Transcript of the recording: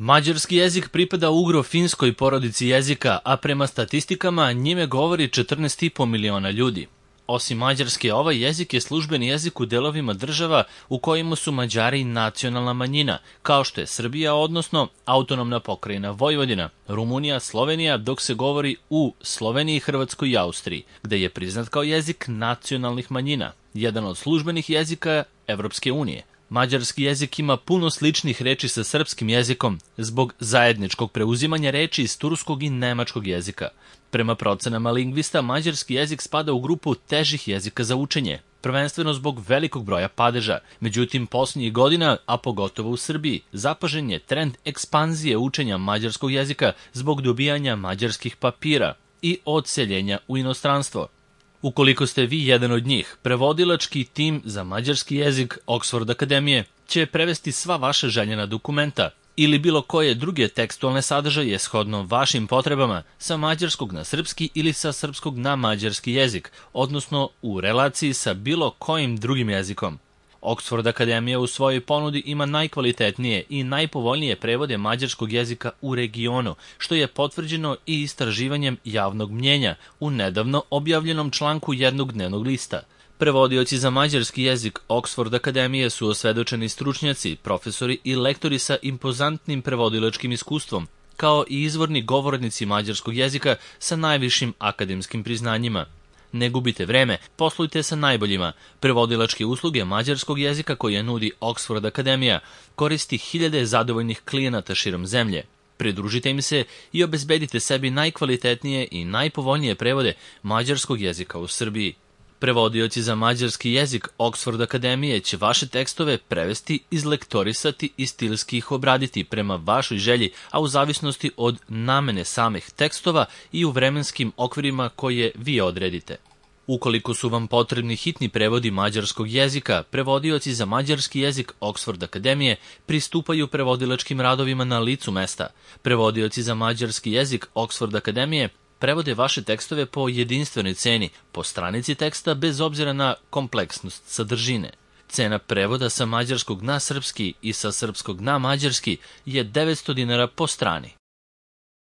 Mađarski jezik pripada ugro-finskoj porodici jezika, a prema statistikama njime govori 14,5 miliona ljudi. Osim mađarske, ovaj jezik je službeni jezik u delovima država u kojima su Mađari nacionalna manjina, kao što je Srbija, odnosno autonomna pokrajina Vojvodina, Rumunija, Slovenija, dok se govori u Sloveniji, Hrvatskoj i Austriji, gde je priznat kao jezik nacionalnih manjina, jedan od službenih jezika Evropske unije. Mađarski jezik ima puno sličnih reči sa srpskim jezikom zbog zajedničkog preuzimanja reči iz turskog i nemačkog jezika. Prema procenama lingvista, mađarski jezik spada u grupu težih jezika za učenje, prvenstveno zbog velikog broja padeža. Međutim, posljednjih godina, a pogotovo u Srbiji, zapažen je trend ekspanzije učenja mađarskog jezika zbog dobijanja mađarskih papira i odseljenja u inostranstvo. Ukoliko ste vi jedan od njih, prevodilački tim za mađarski jezik Oxford Akademije će prevesti sva vaša željena dokumenta ili bilo koje druge tekstualne sadržaje shodno vašim potrebama sa mađarskog na srpski ili sa srpskog na mađarski jezik, odnosno u relaciji sa bilo kojim drugim jezikom. Oxford Akademija u svojoj ponudi ima najkvalitetnije i najpovoljnije prevode mađarskog jezika u regionu, što je potvrđeno i istraživanjem javnog mnjenja u nedavno objavljenom članku jednog dnevnog lista. Prevodioci za mađarski jezik Oxford Akademije su osvedočeni stručnjaci, profesori i lektori sa impozantnim prevodilačkim iskustvom, kao i izvorni govornici mađarskog jezika sa najvišim akademskim priznanjima. Ne gubite vreme, poslujte sa najboljima. Prevodilačke usluge mađarskog jezika koje nudi Oxford Akademija koristi hiljade zadovoljnih klijenata širom zemlje. Pridružite im se i obezbedite sebi najkvalitetnije i najpovoljnije prevode mađarskog jezika u Srbiji. Prevodioci za mađarski jezik Oxford Akademije će vaše tekstove prevesti, izlektorisati i stilski ih obraditi prema vašoj želji, a u zavisnosti od namene samih tekstova i u vremenskim okvirima koje vi odredite. Ukoliko su vam potrebni hitni prevodi mađarskog jezika, prevodioci za mađarski jezik Oxford Akademije pristupaju prevodilačkim radovima na licu mesta. Prevodioci za mađarski jezik Oxford Akademije prevode vaše tekstove po jedinstvenoj ceni, po stranici teksta bez obzira na kompleksnost sadržine. Cena prevoda sa mađarskog na srpski i sa srpskog na mađarski je 900 dinara po strani.